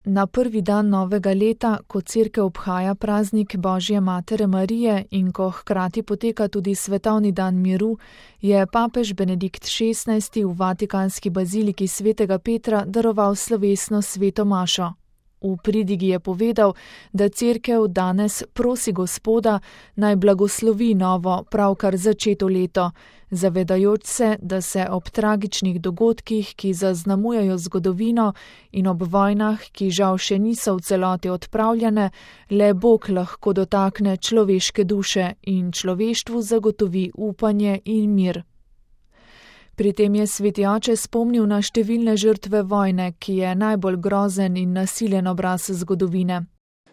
Na prvi dan novega leta, ko Cerkev obhaja praznik Božje Matere Marije in ko hkrati poteka tudi svetovni dan miru, je papež Benedikt XVI v vatikanski baziliki svetega Petra daroval slovesno sveto mašo. V pridigi je povedal, da Cerkev danes prosi Gospoda, naj blagoslovi novo, pravkar začeto leto, zavedajoč se, da se ob tragičnih dogodkih, ki zaznamujejo zgodovino, in ob vojnah, ki žal še niso v celoti odpravljene, le Bog lahko dotakne človeške duše in človeštvu zagotovi upanje in mir. Pri tem je sveti oče spomnil na številne žrtve vojne, ki je najbolj grozen in nasilen obraz zgodovine.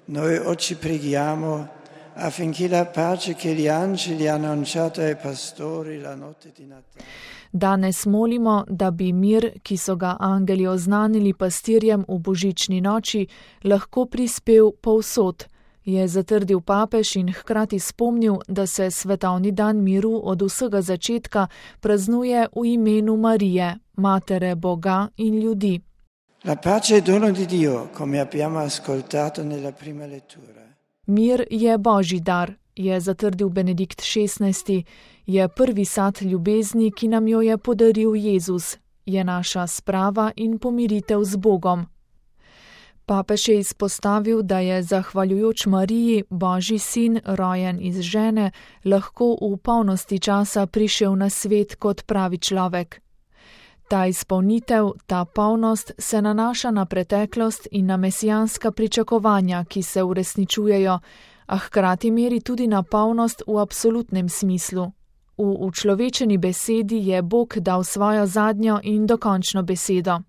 Noi oggi preghiamo affinché la pace che gli angeli hanno annunciato ai pastori la notte di Natale. Danes molimo, da bi mir, ki so ga angeli oznanili pastirjem v božični noči, lahko prispel povsod, je zatrdil papež in hkrati spomnil, da se svetovni dan miru od vsega začetka praznuje v imenu Marije, Matere Boga in ljudi. La pace è dono di Dio, come abbiamo ascoltato nella prima lettura. Mir je Božji dar, je zatrdil Benedikt XVI, je prvi sad ljubezni, ki nam jo je podaril Jezus, je naša sprava in pomiritev z Bogom. Papež je izpostavil, da je zahvaljujoč Mariji, Božji sin, rojen iz žene, lahko v polnosti časa prišel na svet kot pravi človek. Ta izpolnitev, ta polnost se nanaša na preteklost in na mesijanska pričakovanja, ki se uresničujejo, a hkrati meri tudi na polnost v absolutnem smislu. V učlovečeni besedi je Bog dal svojo zadnjo in dokončno besedo.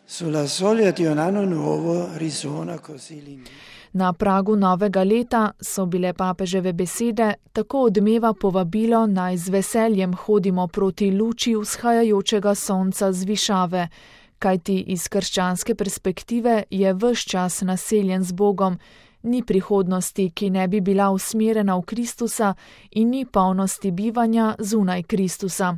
Sulla soglia di un anno nuovo risuona così l'inizio. Na pragu novega leta so bile papeževe besede tako odmeva povabilo, naj z veseljem hodimo proti luči vzhajajočega sonca z višave, kajti iz krščanske perspektive je ves čas naseljen z Bogom, ni prihodnosti, ki ne bi bila usmerjena v Kristusa, in ni polnosti bivanja zunaj Kristusa.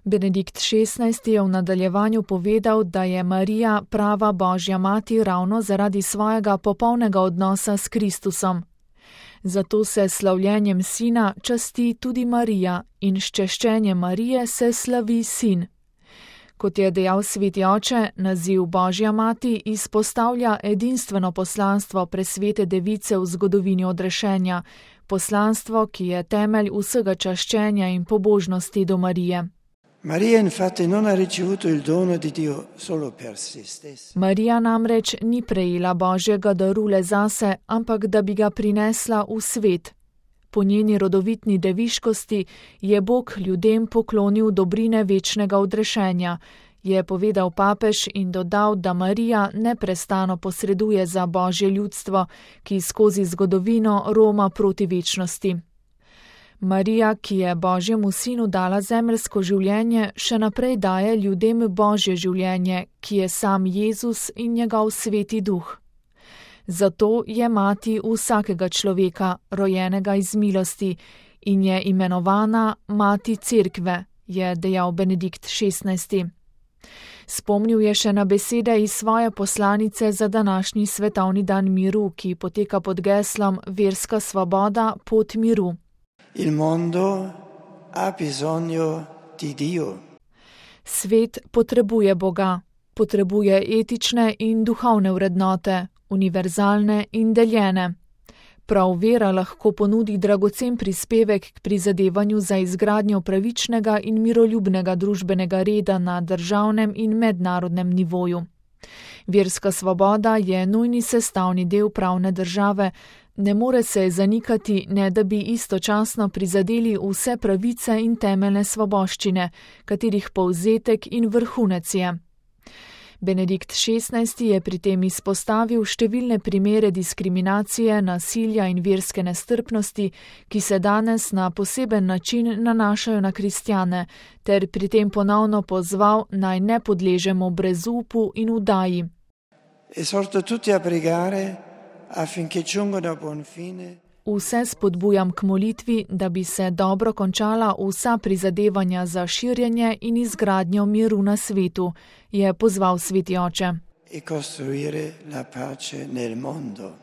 Benedikt XVI je v nadaljevanju povedal, da je Marija prava Božja mati ravno zaradi svojega popolnega odnosa s Kristusom. Zato se slavljenjem sina časti tudi Marija in s češčenjem Marije se slavi sin. Kot je dejal sveti oče, naziv Božja mati izpostavlja edinstveno poslanstvo presvete device v zgodovini odrešenja, poslanstvo, ki je temelj vsega čaščenja in pobožnosti do Marije. Maria infatti non ha ricevuto il dono di Dio solo per se stessa. Marija namreč ni prejela Božjega daru le zase, ampak da bi ga prinesla v svet. Po njeni rodovitni deviškosti je Bog ljudem poklonil dobrine večnega odrešenja, je povedal papež in dodal, da Marija neprestano posreduje za Božje ljudstvo, ki skozi zgodovino roma proti večnosti. Marija, ki je Božjemu sinu dala zemeljsko življenje, še naprej daje ljudem Božje življenje, ki je sam Jezus in njegov sveti duh. Zato je mati vsakega človeka, rojenega iz milosti, in je imenovana mati Cerkve, je dejal Benedikt XVI. Spomnil je še na besede iz svoje poslanice za današnji svetovni dan miru, ki poteka pod geslom Verska svoboda, pot miru. Il mondo ha bisogno di Dio. Svet potrebuje Boga, potrebuje etične in duhovne vrednote, univerzalne in deljene. Prav vera lahko ponudi dragocen prispevek k prizadevanju za izgradnjo pravičnega in miroljubnega družbenega reda na državnem in mednarodnem nivoju. Verska svoboda je nujni sestavni del pravne države, ne more se zanikati, ne da bi istočasno prizadeli vse pravice in temeljne svoboščine, katerih povzetek in vrhunec je. Benedikt XVI je pri tem izpostavil številne primere diskriminacije, nasilja in verske nestrpnosti, ki se danes na poseben način nanašajo na kristjane, ter pri tem ponovno pozval, naj ne podležemo brezupu in udaji. Esorto tutti a pregare affinché giungano a buon fine. Vse spodbujam k molitvi, da bi se dobro končala vsa prizadevanja za širjenje in izgradnjo miru na svetu, je pozval sveti oče. e costruire la pace nel mondo.